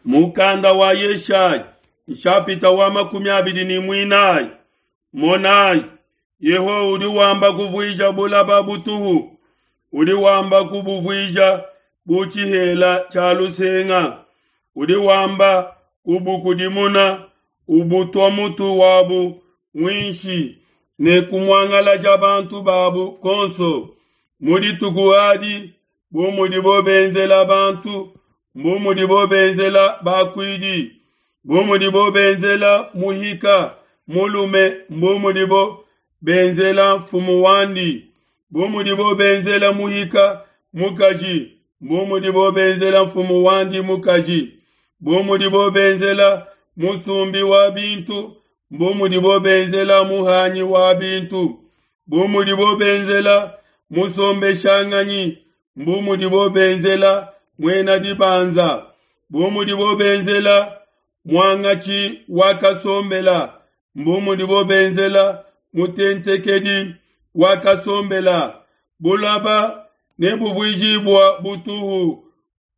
Mukanda wa Yeshaya nshapita wa 24. Monayi, Yehowa udi wamba kuvuija bulaba butuhu, udi wamba kubuvuija bu tshihela tshia lusenga, udi wamba kubukudimuna ubutua mutu wabu muinshi ne kumuangalaja bantu babu konso. Mu dituku adi, bu mudibo benzela bantu, bu mudibo benzela bakuidi, bu mudibo benzela muhika mulume, bu mudibo benzela mfumu wandi, bu mudibo benzela muhika mukaji, bu mudibo benzela mfumu wandi mukaji, bu mudibo benzela musumbi wa bintu, bu mudibo benzela muhanyi wa bintu, bu mudibo benzela musombeshanganyi, bu mudibo benzela muena dibanza, bu mudibo benzela muangatshi wa kasombela, bu mudibo benzela mutentekedi wa kasombela. Bulaba nebuvuijibua butuhu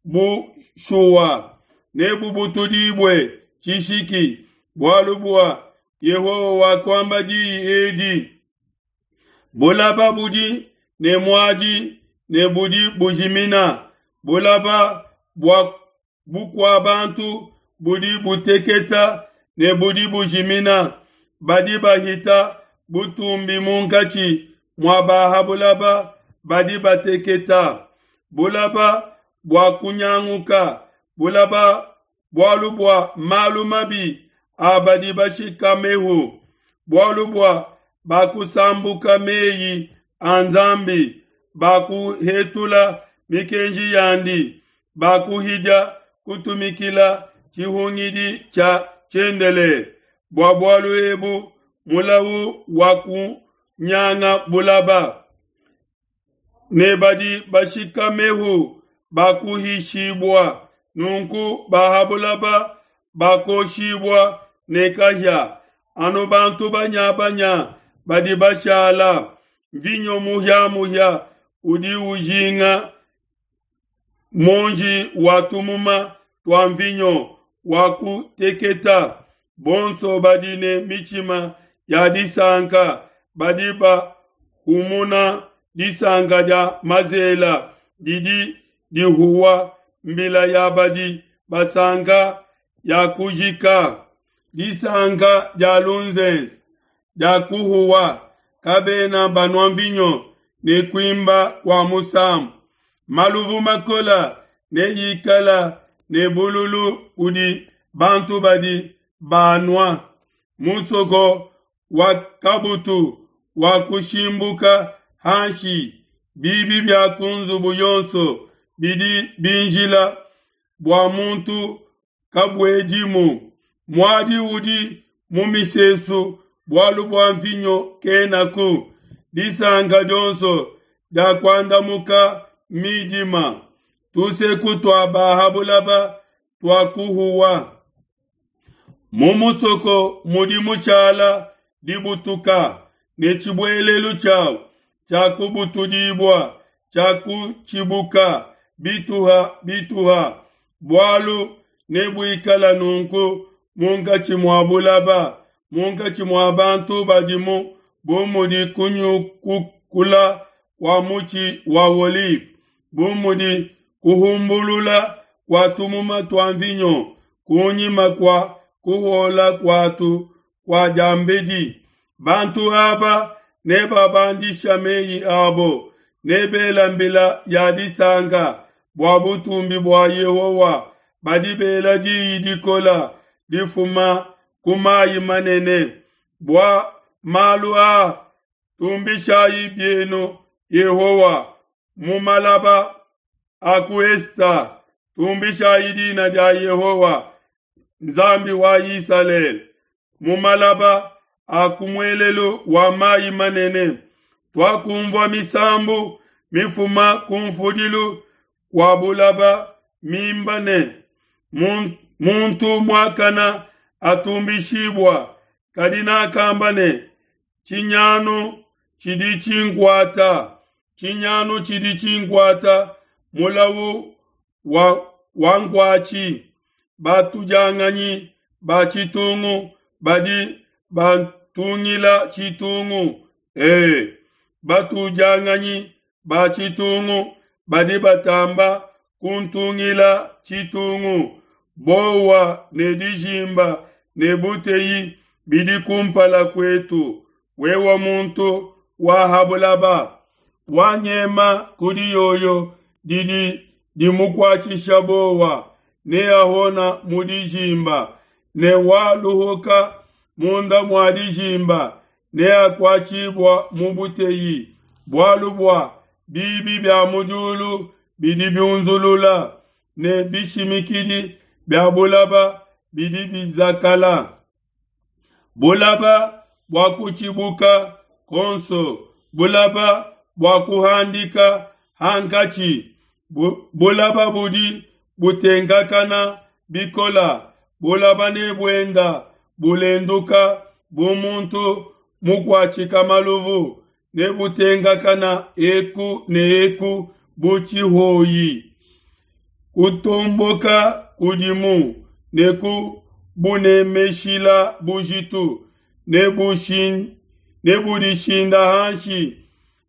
bushuwa, nebubutudibue tshishiki, bualu bua Yehowa wakuamba diyi edi. Bulaba budi ne muadi ne budi bujimina, bulaba bua bukua bantu budi buteketa ne budi bujimina. Badi bahita butumbi munkatshi mua ba bulaba badi bateketa. Bulaba bua kunyanguka, bulaba bualu bua malu mabi a badi bashikamehu, bualu bua bakusambuka meyi a Nzambi, bakuhetula mikenji yandi, bakuhidia kutumikila tshihungidi tshia tshiendelele. Bua bualu ebu mulawu wa kunyanga bulaba, ne badi bashikamehu bakuhishibua, nunku ba bulaba bakoshibua ne kahia. Anu bantu banyabanya badi bashala, mvinyo muhia-muhia udi ujinga muonji wa tumuma tua mvinyo wa kuteketa. Bonso badi ne mitshima ya disanka badi bahumuna disanka dia mazela didi dihuwa, mbila ya badi basanka ya kujika, disanka dia lunzenze dia kuhuwa, kabena banua mvinyo ne kuimba kua musambu. Maluvu makola ne yikala ne bululu kudi bantu badi banua. Musoko wa kabutu wa kushimbuka hanshi, bibi bia ku nzubu yonso bidi binjila bua muntu kabuedimu. Muadi udi mu misesu bualu bua mvinyo kenaku. Disanka dionso dia kuandamuka midima, tuseku tua ba bulaba tua kuhuwa. Mu musoko mudi mushala dibutuka, ne tshibuelelu tshiawu tshiakubutudibua, tshiakutshibuka bituha bituha. Bualu nebuikala nunku munkatshi mua bulaba, munkatshi mua bantu badimu, bu mudi kunyukula kua mutshi wa olive, bu mudi kuhumbulula kua tumuma tua mvinyo kunyima kua kuhuola kuatu kua diambedi. Bantu aba nebabandisha meyi abo, nebela mbila ya disanka bua butumbi bua Yehowa. Badi bela diyi dikola difuma ku mayi manene. Bua malu aa tumbishayi bienu Yehowa mu malaba a ku Esta, tumbishayi dina dia Yehowa Nzambi wa Isalele mu malaba a ku muelelu wa mayi manene. Tuakumvua misambu mifuma ku mfudilu kua bulaba mimba ne, muntu muakana atumbishibua. Kadi nakamba ne, tshinyanu tshidi tshinkuata, tshinyanu tshidi tshinkuata, mulawu wa wankuatshi. Batudianganyi ba tshitungu badi bantungila tshitungu. E, batudianganyi ba tshitungu badi batamba kuntungila tshitungu. Bowa ne dijimba ne buteyi bidi kumpala kuetu. Wewe muntu wa ha bulaba, wanyema ku diyoyo didi dimukuatshisha bowa, neahona mu dijimba, ne waluhuka munda mua dijimba, neakuatshibua mu buteyi. Bualu bua bibi bia mu diulu bidi biunzulula, ne bishimikidi bia bulaba bidi bizakala. Bulaba bua kutshibuka konso, bulaba bua kuhandika hankatshi, bulaba budi butenkakana bikola, bulaba ne buenda bulenduka bu muntu mukuatshika maluvu, ne butenkakana eku ne eku bu tshihoyi. Kutomboka kudimu ne kubunemeshila bujitu, ne budishinda hanshi,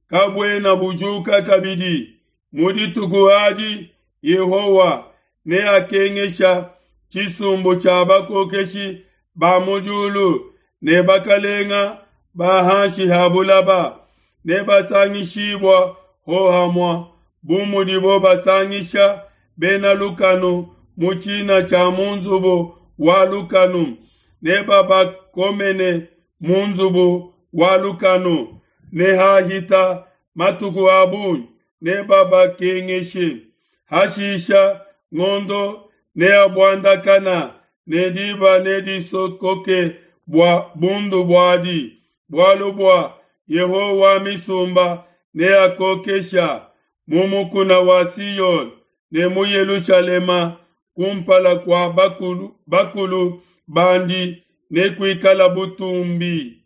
kabuena bujuka kabidi. Mu dituku adi Yehowa neakengesha tshisumbu tshia bakokeshi ba mu diulu ne bakalenga ba hanshi ha bulaba, nebasangishibua hohamua bu mudibo basangisha bena lukanu mu tshina tshia mu nzubu wa lukanu, nebabakomene mu nzubu wa lukanu, ne hahita matuku a bungi nebabakengeshe. Hashisha ngondo neabuandakana ne diba nedisokoke bua bundu buadi, bualu bua Yehowa wa misumba neakokesha mu mukuna wa Siyone ne mu Yelushalema kumpala kua bakulu, bakulu bandi nekuikala butumbi.